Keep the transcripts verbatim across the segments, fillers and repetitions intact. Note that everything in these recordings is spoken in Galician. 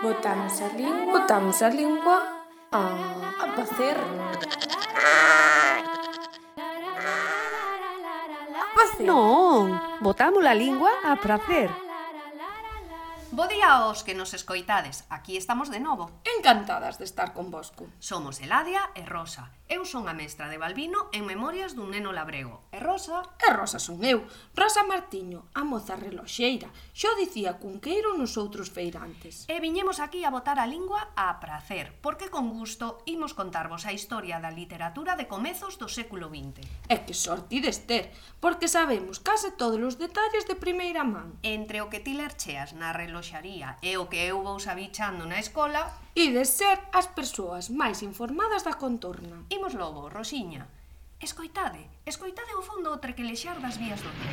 Botamos a lingua, Botamos a lingua a, a facer. A facer. Non, botamos a lingua a pracer. Bo día aos que nos escoitades, aquí estamos de novo. Encantadas de estar convosco. Somos Eladia e Rosa. Eu son a mestra de Balbino en Memorias dun neno labrego. E Rosa... E Rosa son eu, Rosa Martiño, a moza reloxeira. Xo dicía cunqueiro nos outros feirantes. E viñemos aquí a botar a lingua a pracer, porque con gusto imos contarvos a historia da literatura de comezos do século vinte. E que sorte ides ter, porque sabemos case todos os detalles de primeira man. Entre o que ti lercheas na reloxaría e o que eu vou sabichando na escola... Ides ser as persoas máis informadas da contorna. Imos logo, Rosiña. Escoitade, escoitade ao fondo o trequelexar das vías do tren.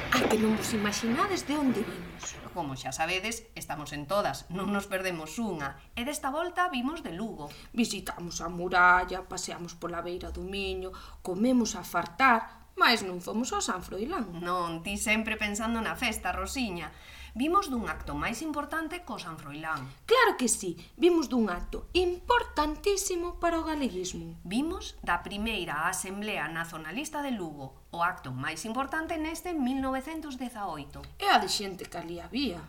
A que non vos imaginades de onde vimos. Como xa sabedes, estamos en todas, non nos perdemos unha. E desta volta vimos de Lugo. Visitamos a muralla, paseamos pola beira do Miño, comemos a fartar, mais non fomos ao San Froilán. Non, ti sempre pensando na festa, Rosiña. Vimos dun acto máis importante co San Froilán. Claro que sí, vimos dun acto importantísimo para o galeguismo. Vimos da primeira Asamblea Nacionalista de Lugo, o acto máis importante neste mil novecentos dezaoito. E a de xente que ali había.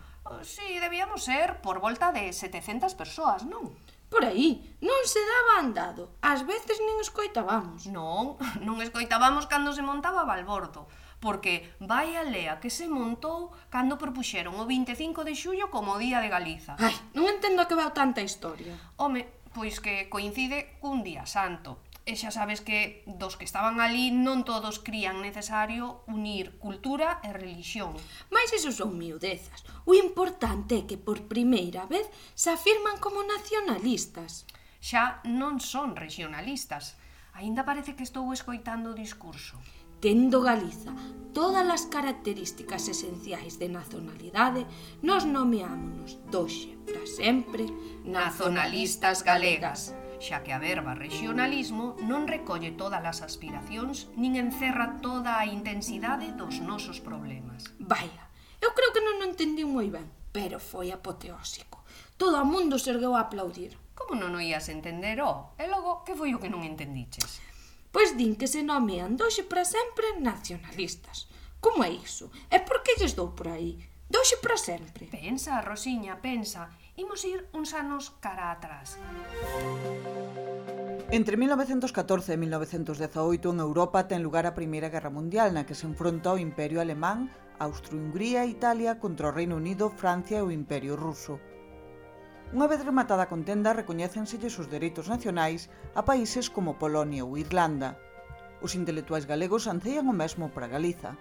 Si, debíamos ser por volta de setecentas persoas, non? Por aí, non se daba andado, ás veces nin escoitábamos. Non, non escoitábamos cando se montaba Balbordo, porque vai a lea que se montou cando propuxeron o vinte e cinco de xullo como o Día de Galiza. Ai, non entendo a que veu tanta historia. Home, pois que coincide cun día santo. E xa sabes que dos que estaban ali non todos crían necesario unir cultura e religión. Mais iso son miudezas. O importante é que por primeira vez se afirman como nacionalistas. Xa non son regionalistas. Aínda parece que estou escoitando o discurso. Tendo Galiza todas as características esenciais de nacionalidade, nos nomeámonos doxe para sempre nacionalistas galegas, xa que a verba regionalismo non recolle todas as aspiracións nin encerra toda a intensidade dos nosos problemas. Vaya, eu creo que non o entendí moi ben, pero foi apoteósico. Todo o mundo se ergueu a aplaudir. Como non o ías entender, ó? E logo, que foi o que non entendiches? Pois din que se nomean doxe para sempre nacionalistas. Como é iso? E por que lles dou por aí? Doxe para sempre. Pensa, Rosiña, pensa. Imos ir uns anos cara atrás. Entre mil novecentos catorce e mil novecentos dezaoito en Europa ten lugar a Primeira Guerra Mundial, na que se enfronta o Imperio Alemán, Austro-Hungría e Italia contra o Reino Unido, Francia e o Imperio Ruso. Unha vez rematada a contenda, recoñécenselles os dereitos nacionais a países como Polonia ou Irlanda. Os intelectuais galegos anceían o mesmo para Galiza.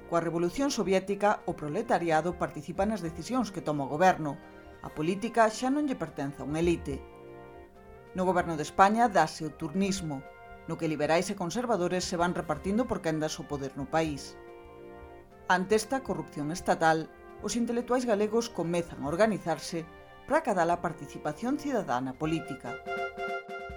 Coa Revolución Soviética, o proletariado participa nas decisións que toma o goberno. A política xa non lle pertence a unha elite. No goberno de España dáse o turnismo, no que liberais e conservadores se van repartindo por quendas o poder no país. Ante esta corrupción estatal, os intelectuais galegos comezan a organizarse para acadar a participación cidadá na política.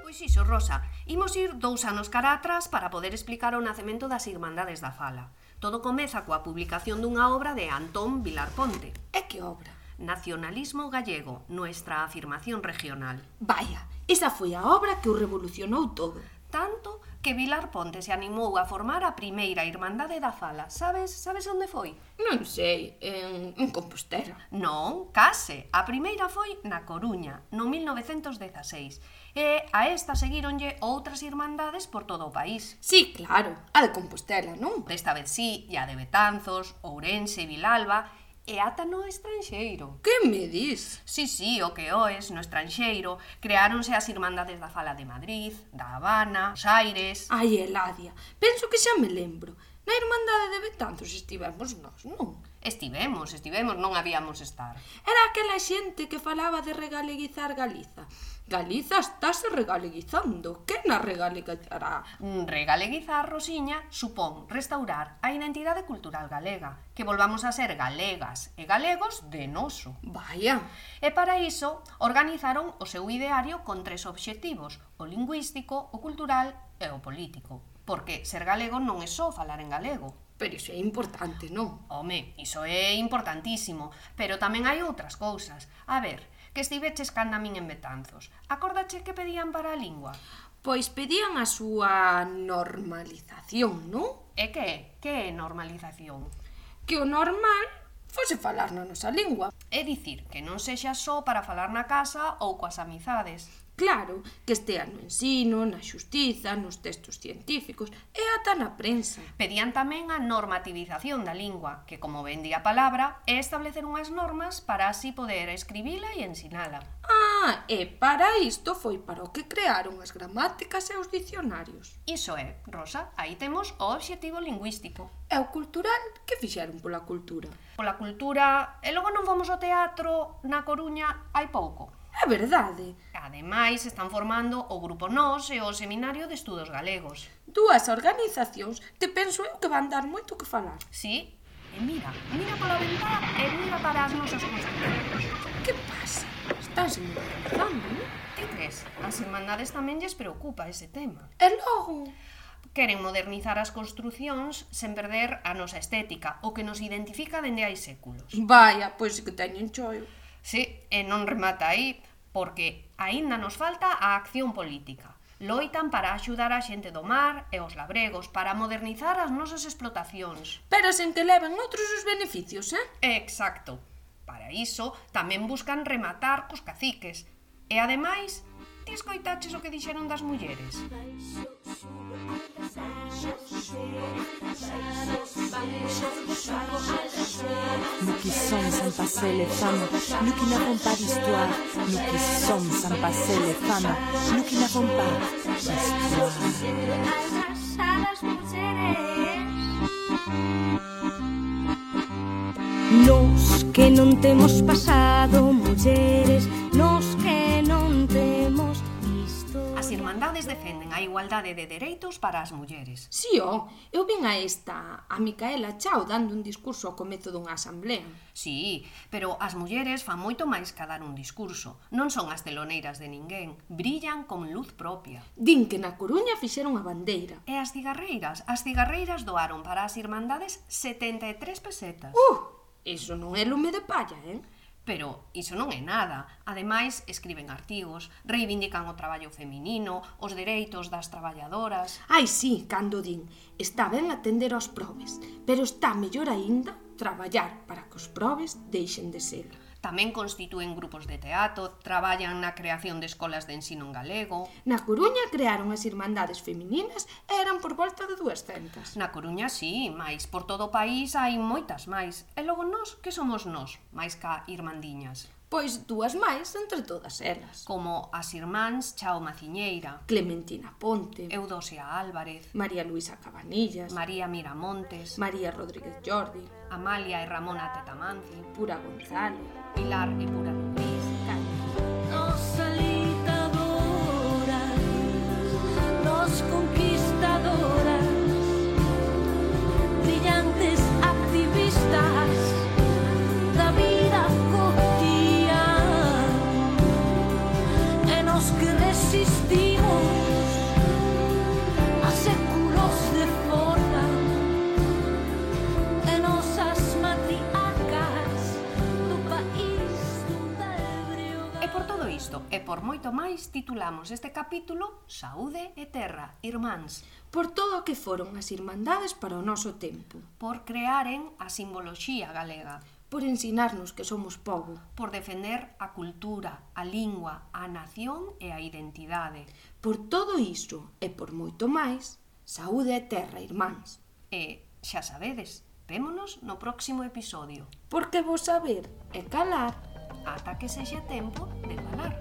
Pois iso, Rosa, imos ir dous anos cara atrás para poder explicar o nacemento das Irmandades da Fala. Todo comeza coa publicación dunha obra de Antón Vilar Ponte. E que obra? Nacionalismo gallego, nuestra afirmación regional. Vaya, esa foi a obra que o revolucionou todo. Tanto que Vilar Ponte se animou a formar a primeira Irmandade da Fala. Sabes, sabes onde foi? Non sei, en, en Compostela. Non, case. A primeira foi na Coruña, no mil novecentos dezaseis. E a esta seguíronlle outras irmandades por todo o país. Sí, claro, a de Compostela, non? Desta vez sí, e a de Betanzos, Ourense e Vilalba, e ata no estranxeiro. Que me dis? Sí, sí, o que oes, no estranxeiro, creáronse as Irmandades da Fala de Madrid, da Habana, Buenos Aires... Ai, Eladia, penso que xa me lembro. Na Irmandade de Betanzos estivemos nós, non? Estivemos, estivemos, non habíamos estar. Era aquela xente que falaba de regaleguizar Galiza. Galiza estáse regaleguizando. Que na regaleguizará? Regaleguizar, Rosiña, supón restaurar a identidade cultural galega, que volvamos a ser galegas e galegos de noso. Vaya. E para iso organizaron o seu ideario con tres obxectivos: o lingüístico, o cultural e o político. Porque ser galego non é só falar en galego. Pero iso é importante, non? Home, iso é importantísimo, pero tamén hai outras cousas. A ver, que estiveches canda min en Betanzos. Acórdache que pedían para a lingua? Pois pedían a súa normalización, non? E que? Que é normalización? Que o normal fose falar na nosa lingua. É dicir, que non sexa só para falar na casa ou coas amizades. Claro, que estea no ensino, na xustiza, nos textos científicos e ata na prensa. Pedían tamén a normativización da lingua, que, como ben di a palabra, é establecer unhas normas para así poder escribila e ensinala. Ah, e para isto foi para o que crearon as gramáticas e os dicionarios. Iso é, Rosa, aí temos o obxectivo lingüístico. E o cultural, que fixeron pola cultura? Pola cultura, e logo non fomos ao teatro na Coruña hai pouco. É verdade. Ademais, están formando o Grupo Nós e o Seminario de Estudos Galegos. Dúas organizacións que penso eu que van dar moito que falar. Sí, e mira, mira pola ventá e mira para as nosas construcións. Que pasa? Estánse modernizando, non? Que crees? As irmandades tamén lles preocupa ese tema. E logo? Queren modernizar as construcións sen perder a nosa estética, o que nos identifica dende hai séculos. Vaya, pois que teñen choio. Sí, e non remata aí, porque aínda nos falta a acción política. Loitan para axudar a xente do mar e os labregos, para modernizar as nosas explotacións. Pero sen que leven outros os beneficios, eh? Exacto. Para iso, tamén buscan rematar cos caciques. E ademais, ti escoitaches o que dixeron das mulleres? Nous qui sommes sans passer les femmes, nous qui n'avons pas d'histoire, nous qui sommes sans passer les femmes, nous qui n'avons pas d'histoire. Nos que non temos pasado, mulleres, nos que non temos visto. As irmandades defenden a igualdade de dereitos para as mulleres. Si, ó, eu vin a esta, a Micaela Chao, dando un discurso ao comezo dunha asamblea. Sí, pero as mulleres fan moito máis que dar un discurso. Non son as teloneiras de ninguén, brillan con luz propia. Din que na Coruña fixeron a bandeira. E as cigarreiras? As cigarreiras doaron para as irmandades setenta e tres pesetas. Uh! Iso non é lume de palla, eh? Pero iso non é nada. Ademais, escriben artigos, reivindican o traballo feminino, os dereitos das traballadoras. Ai, sí, cando din, está ben atender aos probes, pero está mellor aínda traballar para que os probes deixen de ser. Tamén constitúen grupos de teatro, traballan na creación de escolas de ensino en galego. Na Coruña crearon as irmandades femininas e eran por volta de duascentas. Na Coruña sí, mais por todo o país hai moitas máis. E logo nós, que somos nós, máis ca irmandiñas? Pois dúas máis entre todas elas. Como as irmáns Chao Maciñeira, Clementina Ponte, Eudosia Álvarez, María Luisa Cabanillas, María Miramontes, María Rodríguez Jordi, Amalia e Ramona Tetamanzi, Pura Gonzalo, Pilar e Pura Luis, Nos alitadoras, nos conquistadoras, brillantes activistas da vida cotidiana, e nos que resistimos a séculos de forma, e nosas matriarcas do país donde brioga. E por todo isto, e por moito máis, titulamos este capítulo Saúde e Terra, irmáns, por todo o que foron as irmandades para o noso tempo, por crearen a simboloxía galega, por ensinarnos que somos pobo, por defender a cultura, a lingua, a nación e a identidade. por todo iso e por moito máis, saúde e terra, irmáns. E, xa sabedes, vémonos no próximo episodio, Porque vos saber e calar. ata que sexa tempo de falar.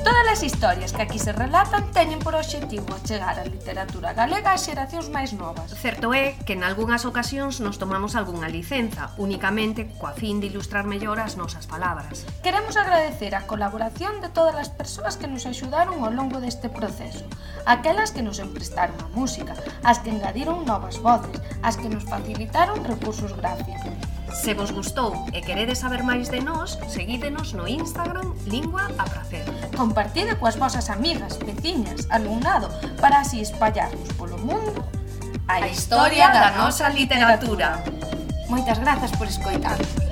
Todas as historias que aquí se relatan teñen por obxectivo chegar a literatura galega ás xeracións máis novas. Certo é que en algunhas ocasións nos tomamos algunha licenza, únicamente coa fin de ilustrar mellor as nosas palabras. Queremos agradecer a colaboración de todas as persoas que nos axudaron ao longo deste proceso, aquelas que nos emprestaron a música, as que engadiron novas voces, as que nos facilitaron recursos gráficos. Se vos gustou e queredes saber máis de nós, seguídenos no Instagram Lingua a Pracer. Compartide coas vosas amigas, veciñas, alumnado, para así espallarnos polo mundo a historia da nosa literatura. Moitas grazas por escoitarnos.